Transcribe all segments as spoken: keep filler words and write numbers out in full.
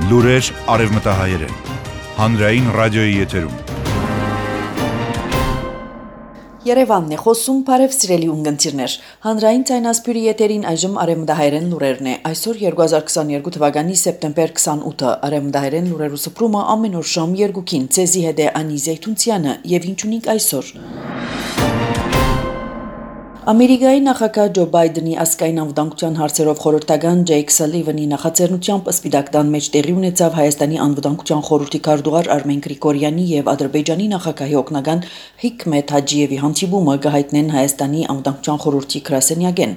Լուրեր արևմտահայերեն, հանրային ռադիոյի եթերում։ Երևանն է խոսում, բարև սիրելի ունգընտիրներ։ Հանրային ցայնասպյուրի եթերին այժմ արևմտահայերեն լուրերն է։ Այսօր երկու հազար քսաներկու թվականի սեպտեմբեր քսանութը արևմտահայերեն լուրերու սփռումը ամեն օր շամ երկուքին ցեզի հետ է Անի Զեյթունցյանը եւ ինչ ունենք այսօր։ Ամերիկայի նախագահ Ջո Բայդենի ազգային անվտանգության հարցերով խորհրդական Ջեյք Սալիվանի նախաձեռնությամբ Սպիտակ տան մեջ տեղի ունեցավ Հայաստանի անվտանգության խորհրդի քարտուղար Արմեն Գրիգորյանի եւ Ադրբեջանի նախագահի օգնական Հիկմեթ Հաջիևի հանդիպումը գահիտնեն Հայաստանի անվտանգության խորհրդի գրասենյակեն։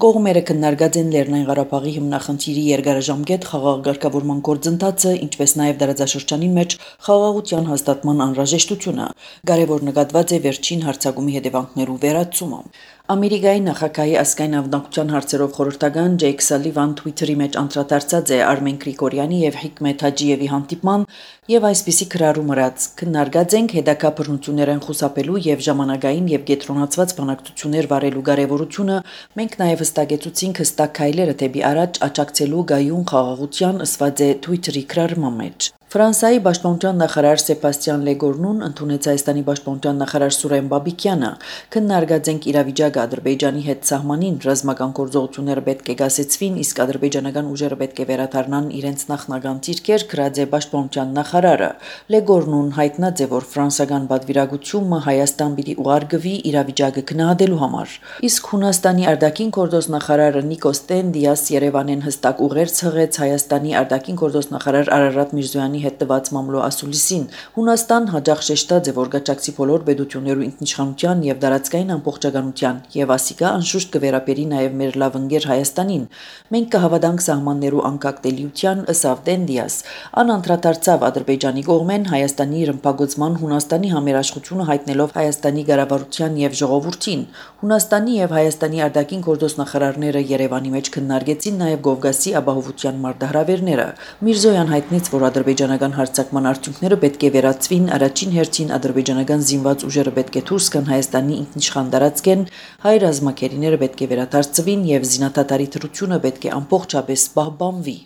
Կողմերը քննարկած են Լեռնային Ղարաբաղի հիմնախնդիրի երկարաժամկետ խաղաղ ղեկավարման գործընթացը, ինչպես նաեւ դարաձաշրջանի մեջ խաղաղության հաստատման անհրաժեշտությունը։ Կարևոր նկատված է վերջին հարձակումի հետևանքներու վերացումը։ Ամերիկայի նախագահի ազգային անվտանգության հարցերով խորհրդական Ջեյք Սալիվան Twitter-ի մեջ անդրադարձած է Արմեն Գրիգորյանի եւ Հիկմեթ Հաջիևի հանդիպման եւ այսպիսի քրարում ըրած քննարկած ենք հետագա բռնություններն խուսափելու եւ ժամանակային եւ կենտրոնացված բանակցություններ վարելու կարեւորությունը։ Մենք նաեւ հստակեցուցինք հստակ քայլերը դեպի առաջ աջակցելու գայուն խաղաղության ըսված է Twitter-ի քրարման մեջ։ Ֆրանսիայի պաշտպանության նախարար Սեբաստիան Լեգորնուն ընդունեց Հայաստանի պաշտպանության նախարար Սուրեն Բաբիկյանը։ Քննարկած ենք իրավիճակը Ադրբեջանի հետ սահմանին ռազմական գործողությունները պետք է գասեցվին, իսկ ադրբեջանական ուժերը պետք է վերադառնան իրենց նախնական դիրքեր, գրած է պաշտպանության նախարարը։ Լեգորնուն հայտնած է, որ ֆրանսիական պատվիրակությունը Հայաստան պիտի ուղարկվի իրավիճակը գնահատելու համար։ Իսկ Հունաստանի արտաքին գործոստ նախարարը Նիկոս Տենդիաս Երևանեն հստակ ուղեր ցղեց Հայաստանի արտաքին գործոստ նախարար Արարատ Միրզոյանի հետ տված մամլո ասուլիսին։ Հունաստան հաջող շեշտած է, որ գաճակցի բոլոր պետություններու ինքնիշխանության եւ դարածքային ամբողջականության եւ ասիկա անշուշտ կվերապերի նաեւ մեր լավ ընկեր Հայաստանին։ Մենք կհավատանք սահմաններու անկախտելիության, ըսավ Տենդիաս։ Ան անդրադարձավ Ադրբեջանի կողմեն Հայաստանի ռմբակոծման Հունաստանի համերաշխությունը հայտնելով Հայաստանի ղեկավարության եւ ժողովրդին։ Հունաստանի եւ Հայաստանի արտաքին գործոստ նախարարները Երևանի մեջ քննարկեցին նաեւ Կովկասի ապահովության մարտահրավերները։ Միրզոյան հայտնեց, որ ադրբեջանական հարձակման արդյունքները պետք է վերացվին, առաջին հերթին ադրբեջանական զինված ուժերը պետք է դուրս գան Հայաստանի ինքնիշխան տարածքեն, հայ ռազմակերիները պետք է վերադարձվին եւ զինադատարի թրությունը պետք է ամբողջապես պահպանվի։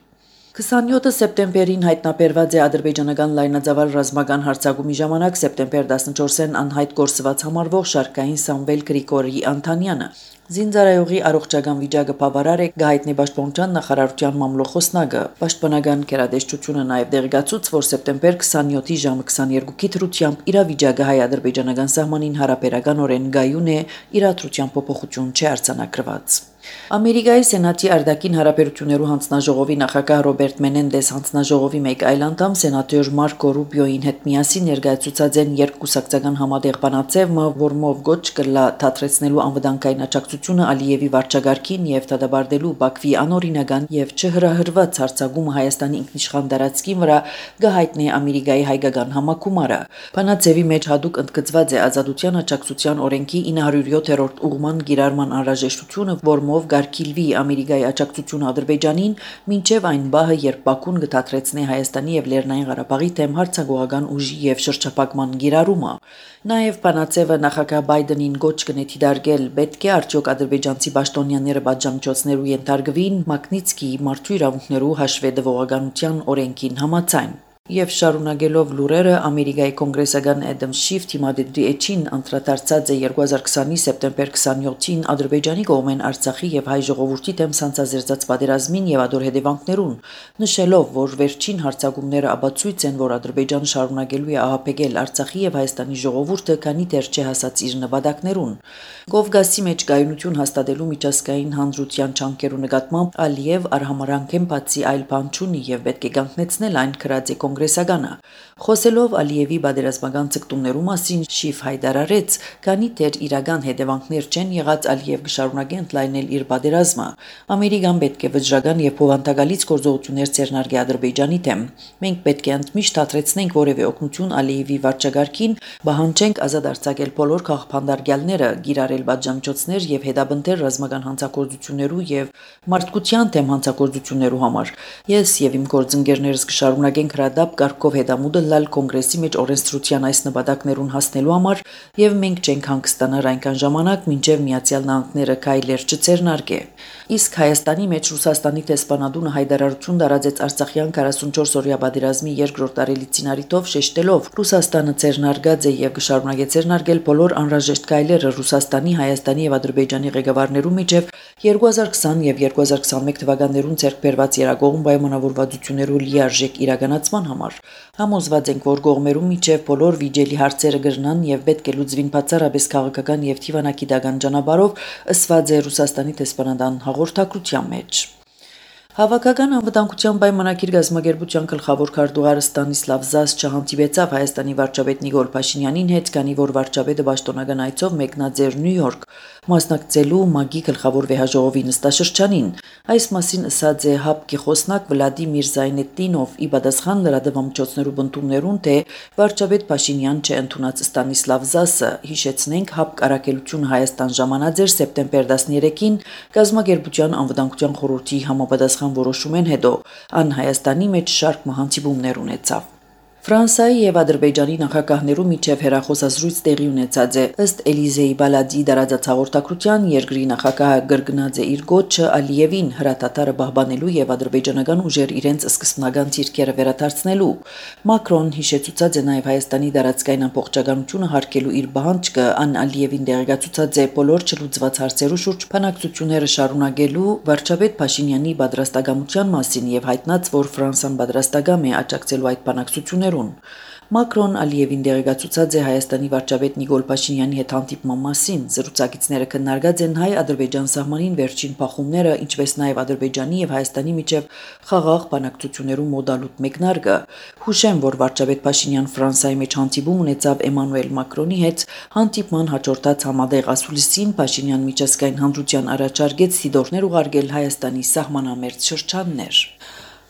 քսանյոթը սեպտեմբերին հայտնաբերված է ադրբեջանական լայնածավալ ռազմական հարձակումի ժամանակ սեպտեմբեր տասնչորսին անհայտ գործված համարվող շարքային Սամվել Գրիգորի Անտանյանը։ Զինծառայողի առողջական վիճակը բավարար է, գահիտնի պաշտպանության նախարարության մամլոխոսնակը։ Պաշտպանական գերատեսչությունը նաև դեղեկացուց, որ սեպտեմբեր քսանյոթի ժամը քսաներկուի դրությամբ իրավիճակը հայ-ադրբեջանական սահմանին հարաբերականորեն գայուն է, իրադրության փոփոխություն չի արձանագրված։ Ամերիկայի Սենատի արտաքին հարաբերություններու հանձնաժողովի նախագահ Ռոբերտ Մենենդես հանձնաժողովի մեկ այլ անդամ սենատոր Մարկո Ռուբիոյին հետ միասին ներկայացուցած են երկկուսակցական համատեղ բանաձևը, որմով գոչ կլա թատրեցնելու անվտանգային աջակցությունը Ալիևի վարչագարքին եւ դադարելու Բաքվի անօրինական եւ չհրահրված հարձակումը Հայաստանի ինքնիշխան տարածքին վրա գահիտնի Ամերիկայի հայկական համակումարը։ Բանաձևի մեջ հadoop ընդգծված է ազատության աջակցության օրենքի ինը հարյուր յոթերորդ ուղման գիրառման անհրաժեշտությունը, որմով գարկիլվի Ամերիկայի աջակցությունը Ադրբեջանին մինչև այն բահը, երբ Բաքուն կթատրեցնի Հայաստանի եւ Լեռնային Ղարաբաղի դեմ հարձակողական ուժի եւ շրջափակման գիրառումը։ Նաեւ բանաձևը նախագահ Բայդենին գոչ կնետի դարգել պետք է արդյոք ադրբեջանցի պաշտոնյաները պատժամիջոցներու ենթարկվին Մագնիցկիի մարդու իրավունքներու հաշվետվողականության օրենքին համաձայն։ Եվ շարունակելով լուրերը Ամերիկայի կոնգրեսական Էդամ Շիֆ թիմադեդի էջին անդրադարձած է երկու հազար քսանի սեպտեմբեր քսանյոթին Ադրբեջանի կողմեն Արցախի եւ հայ ժողովրդի դեմ ցանցազերծած պատերազմին եւ ադոր հետևանքներուն, նշելով, որ վերջին հարձակումները ապացույց են, որ Ադրբեջանը շարունակելու է ահաբեկել Արցախի եւ Հայաստանի ժողովուրդը, քանի դեռ չի հասած իր նպատակներուն։ Կովկասի մեջ գայունություն հաստատելու միջազգային հանրության չանկերու նկատմամբ Ալիև արհամարանքեն բացի այլ բան չունի եւ պետք է կանգնեցնել այն քրած է կոնգրեսականը։ Խոսելով Ալիևի բادرազմական ցկտումներու մասին Շիֆ հայտարարեց, քանի դեռ իրական հետևանքներ չեն եղած Ալիև կշարունակի ընդլայնել իր բادرազմը։ Ամերիկան պետք է վճռական եւ փոխանցակալից գործողություններ ցերնարգի Ադրբեջանի դեմ։ Մենք պետք է ընդմիշտ հատրեցնենք որևէ օգնություն Ալիևի վարչագարքին, բահանջենք ազատ արձակել բոլոր քաղաքապանդարգյալները, գիրառել պատժամիջոցներ եւ հետապնդել ռազմական հանցագործություններու եւ մարդկության դեմ հանցագործություններու համար։ Ես եւ իմ գործընկերներս կշարունակենք հրադապ հապ կարգով հետամուտը լալ կոնգրեսի մեջ օրենսդրության այս նպատակներուն հասնելու համար եւ մենք չենք հանգստանար այնքան ժամանակ, մինչեւ Միացյալ Նահանգները քայլեր չձեռնարկե։ Իսկ Հայաստանի մեջ Ռուսաստանի տեսփանադունը հայտարարություն տարածեց Արցախյան քառասունչորս օրյա պատերազմի երկրորդ տարելիցին առիթով շեշտելով Ռուսաստանը ձեռնարկած է եւ կշարունակի ձեռնարկել բոլոր անհրաժեշտ քայլերը Ռուսաստանի, Հայաստանի եւ Ադրբեջանի ղեկավարներու միջև երկու հազար քսան եւ երկու հազար քսանմեկ թվականներուն ցերկ բերված երագողմ պայմանավորվածություններու լիարժեք իրականացման համար։ Համոզված ենք, որ կողմերու միջև բոլոր վիճելի հարցերը կրնան եւ պետք է լուծվին բացառապես քաղաքական եւ թիվանակիտական ճանապարհով, ըսված է Ռուսաստանի տեսփանադան հաղորդակցության մեջ։ Հավաքական անվտանգության պայմանագիր գազམ་ագերբության գլխավոր քարտուղարը Ստանիսլավ Զաս չհանդիպեցավ Հայաստանի վարչապետ Նիկոլ Փաշինյանին հետ, քանի որ վարչապետը պաշտոնական այցով մեկնած էր Նյու Յորք, մասնակցելու ՄԱԳ-ի գլխավոր վեհաժողովի նստաշրջանին։ Այս մասին ըսած է ՀԱՊԿ-ի խոսնակ Վլադիմիր Զայնետդինով՝ ի պատասխան լրատվամիջոցներու բնդումներուն, թե վարչապետ Փաշինյան չընդունած Ստանիսլավ Զասը, հիշեցնենք, ՀԱՊԿ առաքելությունը Հայաստան ժամանած էր սեպտեմբեր տասներեքին գազམ་ագերբության անվտանգության խորհրդի համապատասխան որոշումեն հետո, ան Հայաստանի մեջ շարք մահանցիբումներ ունեցավ։ Ֆրանսիայի եւ Ադրբեջանի նախագահներու միջև հերախոսազրույց տեղի ունեցած է, ըստ Էլիզեի Բալադի դարածած հաղորդակցության երկրի նախագահը գրգնած է իր գոչը Ալիևին հրատատարը պահպանելու եւ ադրբեջանական ուժեր իրենց սկզբնական ցիրկերը վերադարձնելու։ Մակրոն հիշեցուցած է նաեւ Հայաստանի դարածքային ամբողջականությունը հարգելու իր բանջկը, ան Ալիևին դեղեկացուցած է բոլոր չլուծված հարցերու շուրջ բանակցությունները շարունակելու վարչապետ Փաշինյանի պատրաստակամության մասին եւ հայտնած, որ Ֆրանսիան պատրաստակամ է աջակցելու այդ բանակցությունները։ Մակրոն Ալիևին դեղեկացուցած է Հայաստանի վարչապետ Նիկոլ Փաշինյանի հետ հանդիպման մասին։ Զրուցակիցները քննարկած են հայ-ադրբեջան սահմանին վերջին փախումները, ինչպես նաև Ադրբեջանի եւ Հայաստանի միջև խաղաղ բանակցություններու մոդալուտ մեկնարկը։ Հուշեմ, որ վարչապետ Փաշինյան Ֆրանսիայի մեջ հանդիպում ունեցավ Էմանուել Մակրոնի հետ, հանդիպման հաջորդած համատեղ ասուլիսին Փաշինյան միջազգային հանրության առաջարկեց թիդորներ ուղարկել Հայաստանի սահմանամերձ շրջաններ։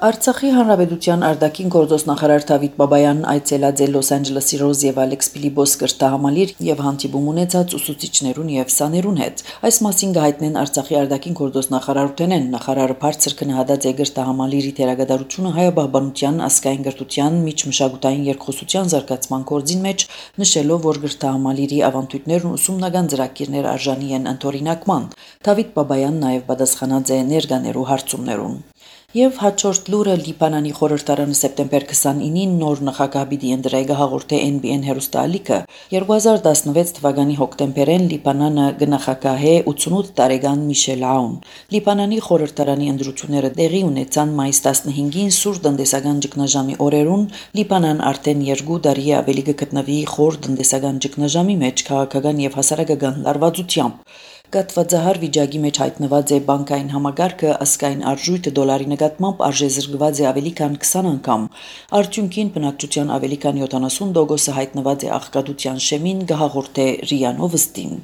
Արցախի հանրապետության արտաքին գործոս նախարար Դավիթ Բաբայանն այցելած է Լոս Անջելեսի Ռոզ եւ Ալեքս Փիլիպոս կրթահամալիր եւ հանդիպում ունեցած ուսուցիչներուն եւ սաներուն հետ։ Այս մասին կհայտնեն Արցախի արտաքին գործոս նախարարութենեն։ Նախարարը բարձր քննադատած է կրթահամալիրի թերագադարությունը հայաբահբանության, ազգային կրթության, միջմշակութային երկխոսության զարգացման գործին մեջ, նշելով, որ կրթահամալիրի ավանդույթներն ուսումնական ծրագիրներ արժանի են ընդօրինակման։ Դավիթ Բաբայանն նաեւ պատասխանած է ներկաներու հարցումներուն։ Եվ հաջորդ լուրը Լիբանանի խորհրդարանը սեպտեմբեր քսանինին նոր նախագահ պիտի ընտրեգը հաղորդե Էն Բի Էն հեռուստաալիքը։ երկու հազար տասնվեց թվականի հոկտեմբերին Լիբանանը կնախագահե ութսունութ տարեկան Միշել Աուն։ Լիբանանի խորհրդարանի ընտրությունները տեղի ունեցան մայիս տասնհինգին սուր տնտեսական ճգնաժամի օրերուն։ Լիբանան արդեն երկու տարի ավելի կգտնվի խոր տնտեսական ճգնաժամի մեջ քաղաքական եւ հասարակական լարվածությամբ։ Կատվածահար վիճակի մեջ հայտնված է բանկային համագարկը, ազգային արժույթը դոլարի նկատմամբ արժեզրկված է ավելի քան քսան անգամ։ Արդյունքին բնակչության ավելի քան յոթանասուն տոկոսը հայտնված է աղքատության շեմին, կհաղորդե Ռիա Նովստին։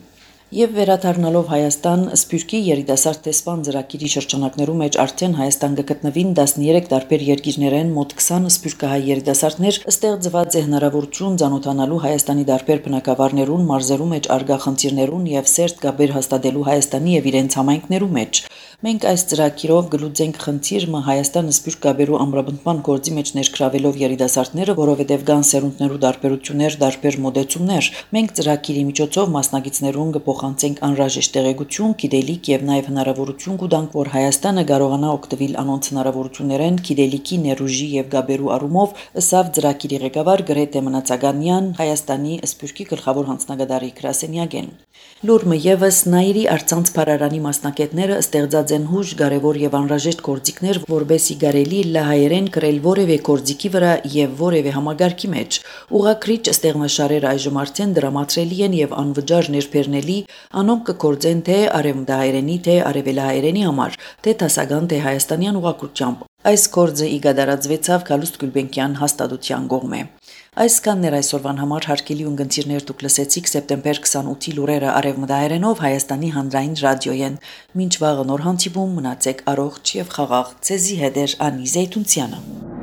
Եվ վերադառնալով Հայաստան, Սփյուռքի երիտասարդ տեսփան ծրագիրի շրջանակներու մեջ արդեն Հայաստան կգտնվին տասներեք տարբեր երկիրներեն մոտ քսան սփյուռքահայ երիտասարդներ, ստեղծված է հնարավորություն ծանոթանալու Հայաստանի տարբեր բնակավարներուն, մարզերու մեջ արգա խնդիրներուն եւ սերտ կապեր հաստատելու Հայաստանի եւ իրենց համայնքներու մեջ։ Մենք այս ծրագիրով գլուծենք խնդիրը Հայաստանը սփյուռք կապերու ամրապնդման գործի մեջ ներգրավելով երիտասարդները, որովհետև կան սերունդներու տարբերություններ, տարբեր մոդեցումներ։ Մենք ծրագիրի միջոցով մասնակիցներուն կփոխանցենք անհրաժեշտ տեղեկություն, գիտելիք եւ նաեւ հնարավորություն կտանք, որ Հայաստանը կարողանա օգտվել անոնց հնարավորություններեն գիտելիքի, ներուժի եւ գաբերու առումով, ըսավ ծրագիրի ղեկավար Գրետե Մնացականյան, Հայաստանի սփյուռքի գլխավոր հանձնագետարի գրասենյակեն։ Լուրմը եւս Նաիրի արցանց փարարանի մասնակիցները ստեղծած են հուժ կարևոր եւ անհրաժեշտ գործիքներ, որբեսի կարելի լահայերեն գրել որևէ գործիքի վրա եւ որևէ համագարկի մեջ։ Ուղղակրիչ ստեղնաշարերը այժմ արդեն դրամատրելի են եւ անվճար ներբեռնելի, անոնք կգործեն թե արևմտահայերենի, թե արևելահայերենի համար, թե դասական, թե հայաստանյան ուղղակրությամբ։ Այս գործը իգադարածվեցավ Գալուստ Գուլբենկյան հաստատության կողմէ։ Այսքաններ այսօրվան համար հարգելի ունգընտիրներ դուք լսեցիք սեպտեմբեր քսանութի լուրերը արևմտահայերենով Հայաստանի հանրային ռադիոյեն։ Մինչ վաղը նոր հանդիպում մնացեք առողջ եւ խաղաղ։ Ցեզի հետ է Անի Զեյթունցյանը։